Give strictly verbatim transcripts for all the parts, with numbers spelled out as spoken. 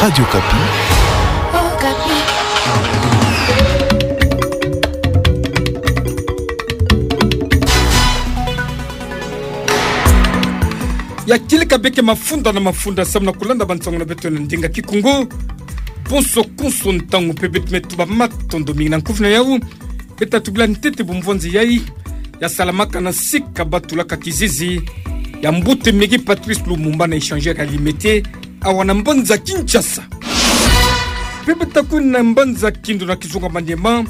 Radio Okapi. Ya kieleka beke mafunda na mafunda samu na kulanda bansangu na beto na ndinga Kikongo. Konso konso ntangu mpe beto me tuba matondo mingi na nkufi na yau. Beto tubila ntete bumvwanzi yai ya salamaka na sika batulaka kizizi ya mbuta Mairie Patrice Lumumba na échangeur ya Limete, awa na mbanza Kinshasa. Mpe beto kwenda na mbanza Kindu na kizunga Maniema,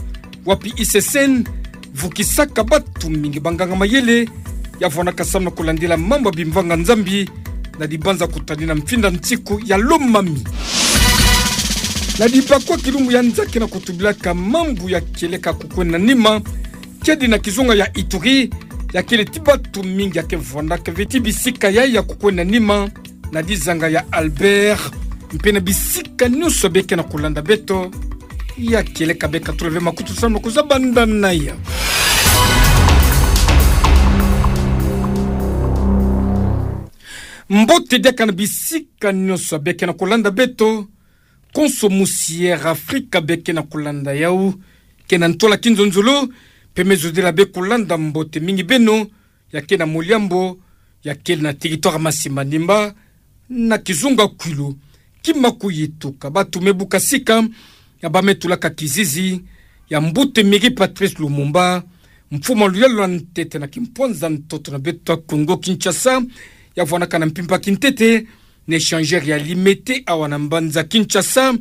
wapi I C C N vukisaka batu mingi, banganga mayele, ya vwanaka samu na kulandila mambu ya bimvanga Nzambi na dibanza kutanina mfinda nsiku ya Lomami. Na dibakwa kilumbu ya nza ke na kutubilaka mambu ya kieleka kukwenda nima, kiadi na kizunga ya Ituri, ya kele ti batu mingi ya ke vwandaka ve ti bisika yai ya kukwenda nima, na dizanga ya Albert, mpe na bisika nyonso beke na kulanda beto. Ya kieleka beka tula ve makutu samu na kuzaba ndana ya mbote diaka na bisika nyonso beke na kulanda beto. Konso musi Air Africa beke na kulanda yau, ke na ntola kinzonzolo, mpe me zodila be kulanda mbote mingi beno ya ke na Moliambo, ya kele na territoire Masi-Manimba, na kizunga Kwilu, kima kuyituka batu me buka sika ya ba me tulaka kizizi ya mbuta Mairie Patrice Lumumba, mfumu a luyalu lwa ntete na kimpwanza ntoto na beto ya Kongo Kinshasa, ya vwanaka na mpimpa kintete na échangeur ya Limete awa na mbanza Kinshasa.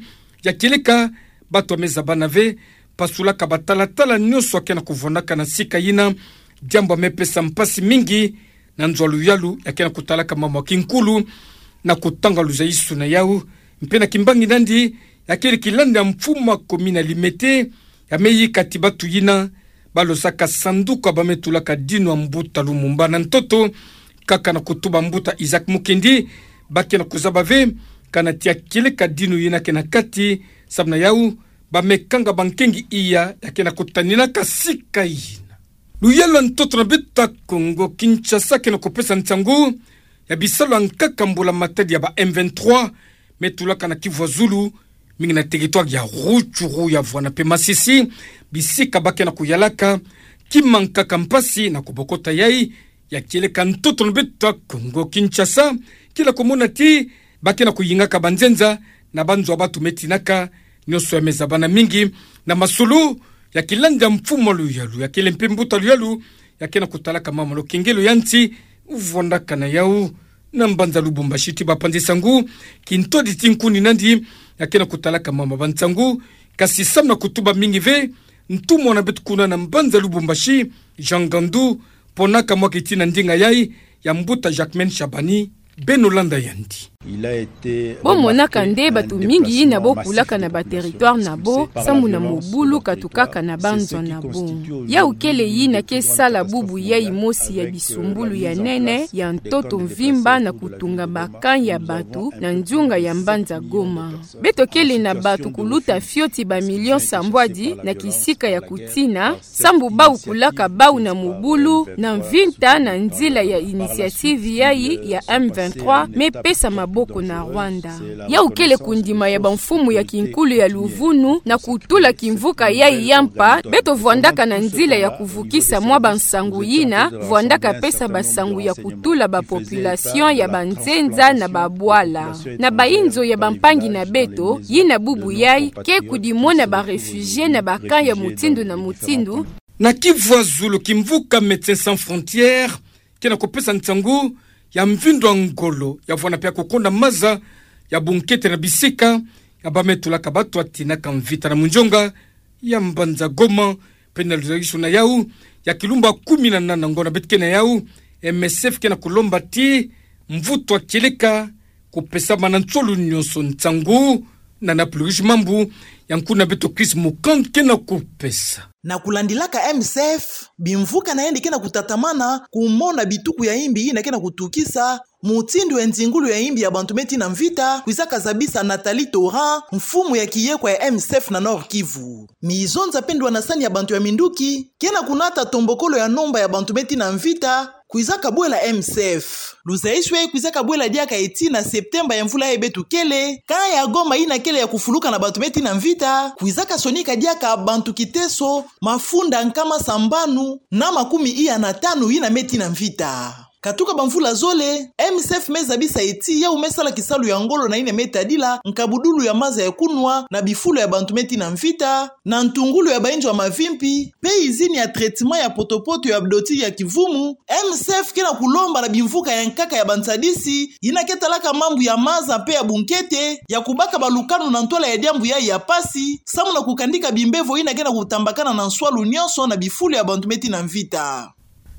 Ya kieleka, batu ya me zabana ve, pasulaka batalatala nyonso ya ke na kuvwandaka na sika yina, diambu ya me pesa mpasi mingi na nzo ya luyalu ya ke na kutalaka mambu ya kinkulu na kutanga luzaisu na yau. Mpe na kimbangi nandi, ya kele kilanda ya mfumu a commune ya Limete, ya me yika ti batu yina ba lozaka sanduku ya ba me tulaka dinu ya mbuta Lumumba na ntoto, kaka na kutuba mbuta Isaac Mukendi, ba ke na kuzaba ve kana ti ya kieleka dinu yina ke na kati, samu na yau ba me kanga bankengi iya ya ke na kutaninaka sika yina. Luyalu lwa ntoto na beto ya Kongo Kinshasa ke na kupesa nsangu ya bisalu ya nkaka mbula matadi ya ba M vingt-trois me tulaka na Kivu ya Zulu, mingi na territoire ya Rutshuru, ya Voana mpe Masisi, bisika ba ke na kuyalaka kima nkaka mpasi na kubokota yai. Ya kieleka ntoto na beto ya Kongo Kinshasa, kila kumona ti ba ke na kuyingaka banzenza na banzo ya batu me tinaka, nyonso ya me zabana mingi na masolo ya kilanda ya mfumu a luyalu, ya kele mpe mbuta luyalu ya ke na kutalaka mambu ya lukengelo ya nsi, vwandaka na yau na mbanza Lubumbashi ti bapanzi sangu, kintwadi ti nkuni nandi ya ke na kutalaka mambu ya bansangu. Kasi samu na kutuba mingi ve, ntumwa na beto kuna na mbanza Lubumbashi, Jean Gandu, ponaka mwa kiti na ndinga yai ya mbuta Jacquemain Shabani, beno landa yandi. Bo monaka nde batu mingi yina bo kulaka na ba territoire na bo, sambu na mobulu katukaka na banzo na bo. Yau kele yina ke sala bubu yai mosi ya bisumbulu ya nene ya ntoto mvimba na kutunga ba camp ya batu na nzunga ya mbanza Goma. Beto kele na batu kuluta fioti ba million sambwadi na kisika ya kutina, sambu bau kulaka bau na mobulu na mvinta na nzila ya initiative yai ya M vingt-trois me pesa maboko na Rwanda. Yau kele kundima ya bamfumu ya kinkulu ya luvunu na kutula kimvuka yai ya mpa, beto vwandaka na nzila ya kuvukisa mwa bansangu yina vwandaka pesa basangu ya kutula ba population ya banzenza na babwala. Na bainzo ya bampangi na beto, yina bubu yai ke kudimona ba réfugiés na ba camp ya mutindu na mutindu. Na Kivu ya Zulu, kimvuka Médecins Sans Frontières ke na kupesa nsangu ya mvindo ya ngolo ya vwanda mpe ya kukonda maza ya bunkete na bisika ya ba me tulaka batu ya tinaka mvita na munzonga ya mbanza Goma, mpe na luzaisu na yau ya kilumbu ya kumi na nana ngo na beto ke na yau, M S F ke na kulomba ti mvutu ya kieleka kupesama na nsolu nyonso nsangu na na pluris mambu ya nkuna beto Chris Mukand ke na kupesa. Na kulandilaka M S F, bimvuka na yandi ke na kutatamana kumona bituku ya imbi yina ke na kutukisa, mutindu ya nzingulu ya imbi ya bantu me tina mvita kwizaka zabisa Nathalie Toran, mfumu ya kiyekwa ya M S F na Nord-Kivu. Mizonza mpe ndwanasani ya bantu ya minduki ke na kunata tombokolo ya nomba ya bantu me tina mvita, kwizaka bwela M S F. Luzayiswi kwizaka bwela diaka eti na Septemba ya mvula yayi beto kele, camp ya Goma yina kele ya kufuluka na bantu me tina mvita, kwizaka sonika diaka bantu kiteso mafunda nkama sambanu na makumi iya na tanu yina me tina mvita. Katuka bamvula zole, M S F me zabisa eti yawu me sala kisalu ya ngolo na yina me tadila nkabudulu ya maza ya kunwa na bifulu ya bantu me tina mvita, na ntungulu ya bayinzo ya mavimpi, mpe izini ya traitement ya poto-poto ya doti ya kivumu. M S F ke na kulomba na bimvuka ya nkaka ya bansadisi yina ke talaka mambu ya maza mpe ya bunkete ya kubaka balukanu na ntwala ya diambu yayi ya mpasi, samu na kukandika bimbevo yina ke na kutambakana na nswalu nyonso na bifulu ya bantu me tina mvita.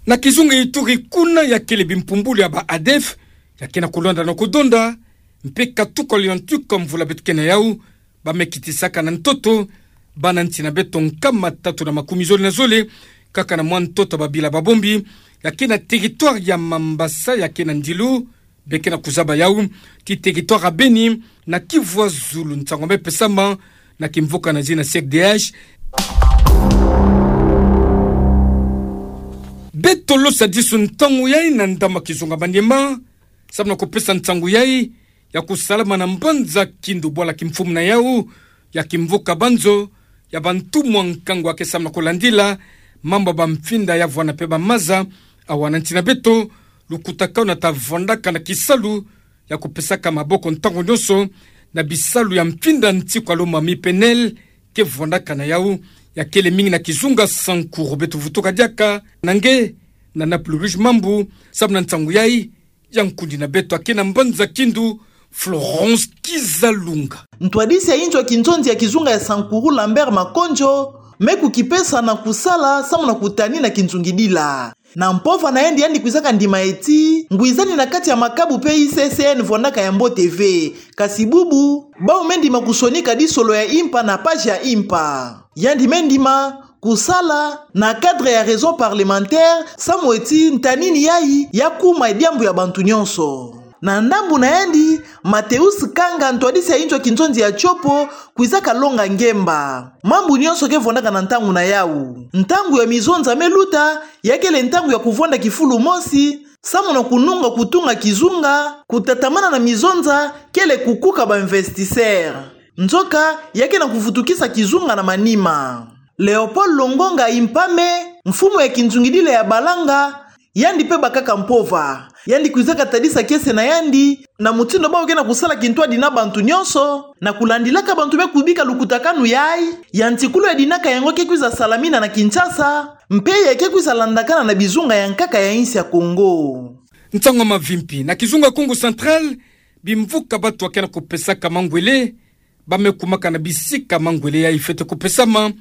Na kizunga Ituri kuna, ya kele bimpumbulu ya ba ADF ya ke na kulonda na kudonda, mpe katuka lio ntuka mvula beto ke na yawu, ba me kitisaka na ntoto bana nsi na beto nkama tatu na makumi zole na zole, kaka na mwa ntoto ya babila ba bombi ya ke na territoire ya Mambasa, ya ke na ndilu be ke na kuzaba yawu ti territoire ya Beni na Kivu ya Zulu. Nsangu me pesama na kimvuka na zina C D H. Beto losa disu ntangu yayi na ndambu ya kizunga Maniema, samu na kupesa nsangu yayi ya kusalama na mbanza Kindu, bwala kimfumu na yawu ya kimvuka Banzo, ya bantumwa nkangu ya ke samu na kulandila mambu ya bamfinda ya vwanda mpe bamaza awa na nsi na beto. Lukutakanu ta vwandaka na kisalu ya kupesaka maboko ntangu nyonso na bisalu ya mfinda nsi kwa lomami, P N L, ke vwandaka na yawu, ya kele mingi na kizunga Sankuru. Beto vutuka diaka na nge na Naples Rouge Mambu samu na nsangu yayi ya nkundi na beto ya ke na mbanza Kindu, Florence Kizalunga. Ntwadisi ya inzo ya kinzonzi ya kizunga ya Sankuru, Lambert Makonjo, me kukipesa na kusala samu na kutanina kinzungidila. Na mpova na yandi, yandi kwizaka ndima eti ngwizani na kati ya makabu mpe I C C N vwandaka ya mbote ve. Kasi bubu, bawu me ndima kusonika disolo ya impa na page ya impa. Yandi me ndima kusala na cadre ya raison parlementaire, samu eti ntanini yayi ya kuma diambu ya bantu nyonso. Na ndambu na yandi, Mateus Kanga, ntwadisi ya inzo ya kinzonzi ya Tshopo, kwizaka longa ngemba mambu nyonso ke vwandaka na ntangu na yawu. Ntangu ya mizonza me luta, ya kele ntangu ya kuvwanda kifulu mosi, samu na kununga kutunga kizunga, kutatamana na mizonza, kele kukuka ba investisseurs. Nzoka, ya ke na kuvutukisa kizunga na manima. Leopold Longonga Impame, mfumu ya kinzungidila ya Balanga, yandi mpe bakaka mpova. Yandi kwizaka tadisa kiese na yandi na mutindu bawu ke na kusala kintwadi na bantu nyonso, na kulandilaka bantu me kubika lukutakanu yayi, ya ntikulu ya dinaka yango ke kwiza salamina na Kinshasa, mpe ya ke kwiza landakana na bizunga ya nkaka ya insi ya Congo. Nsangu ya mavimpi na kizunga Kongo Central, bimvuka bato ya ke na kupesaka mangwele, ba me kumaka na bisika mangwele yayi fwete kupesama.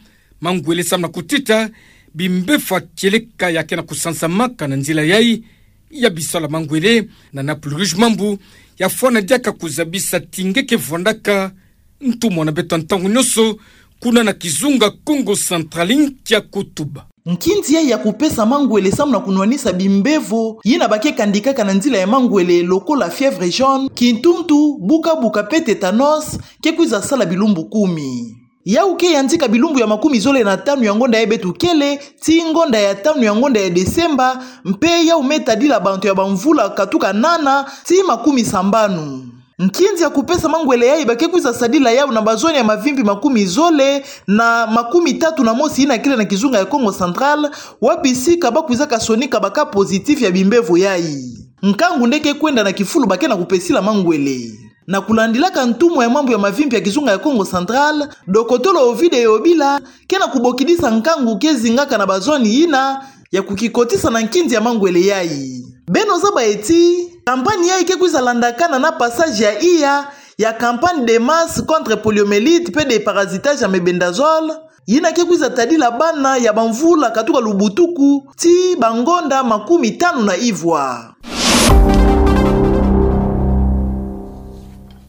Mangwele samu na kutita bimbevo ya kieleka ya ke na kusansamaka na nzila yayi ya bisalu ya mangwele. Na Naples Rouge Mambu, ya fwana diaka kuzabisa ti nge ke vwandaka ntumwa na beto ntangu nyonso kuna na kizunga Kongo Central, nkia kutuba. Nkinzi yayi ya kupesa mangwele samu na kunwanisa bimbevo yina ba ke kandikaka na nzila ya mangwele, lokola fièvre jaune, kintuntu, buka-buka mpe tétanos, ke kwiza sala bilumbu kumi. Yawu ke yantika bilumbu ya makumi zole na tanu ya ngonda yayi beto kele, tii ngonda ya tanu ya ngonda ya Desemba, mpe yawu me tadila bantu ya bamvula katuka nana tii makumi sambanu. Nkinzi ya kupesa mangwele yayi ba ke kwiza sadila yawu na bazone ya mavimpi makumi zole na makumi tatu na mosi yina kele na kizunga ya Kongo Central, wapi sika ba kwizaka sonika ba cas positif ya bimbevo yayi. Nkangu nde ke kwenda na kifulu ba ke na kupesila mangwele. Na kulandilaka ntumwa ya mambu ya mavimpi ya kizunga ya Kongo Central, dokotolo Ovide Yobila, ke na kubokidisa nkangu ke zingaka na bazone yina ya kukikotisa na nkinzi ya mangwele yayi. Beno zaba eti, campagne yayi ke kwiza landakana na passage ya iya ya campagne de masse contre poliomyélite mpe de parasitage ya mebendazole, yina ke kwiza tadila bana ya bamvula katuka lubutuku tii bangonda makumi tanu na ivwa.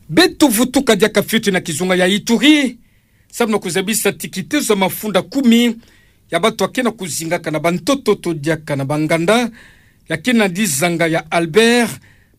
Beto vutuka diaka fioti na kizunga ya Ituri, samu na kuzabisa ti kitezo ya mafunda kumi ya bato ya ke na kuzingaka na bantoto to diaka na banganda, ya ke na dizanga ya Albert,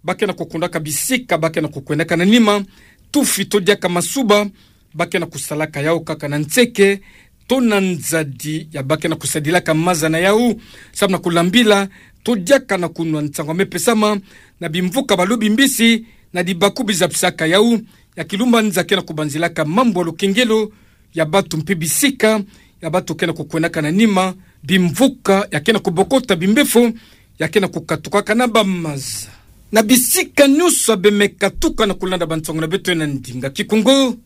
ba ke na kukundaka bisika ba ke na kukwendaka na nima, tufi to diaka masuba, ba ke na kusalaka yawu kaka na nseke to na nzadi ya ba ke na kusadilaka maza na yawu, samu na kulambila Todiaka na kunwa nsango ya me pesama na bimvuka ba lobi mbisi, na dibaku bizapisaka yau, ya Kilumbanza ke na kubanzilaka mambu ya lukengelo ya bantu mpe bisika ya bantu ke na kukwenaka na nima, bimvuka ya ke na kubokota bimbefo ya ke na kukatukaka na bamaza. Na bisika nyonso ya be me katuka na kulanda bansango na beto na ndinga Kikongo,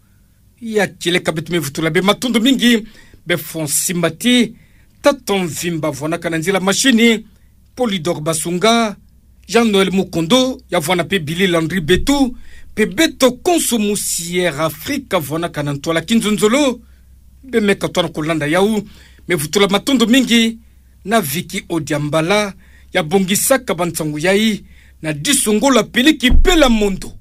ya kieleka beto me vutula bê matondo mingi bê Fonsi Mbati, tata Mvimba vwanaka na nzila mashini, Polydor Basunga, Jean-Noël Mukondo, ya vwana mpe Billy Landry Betu, mpe beto konso mu Sierra Africa vwanaka na ntwala kinzonzolo, bê me katuka na kulanda yau. Me vutula matondo mingi na Vicky Odiambala, ya bongisaka bansango yai na diso ngolo ya peliki pela mondo.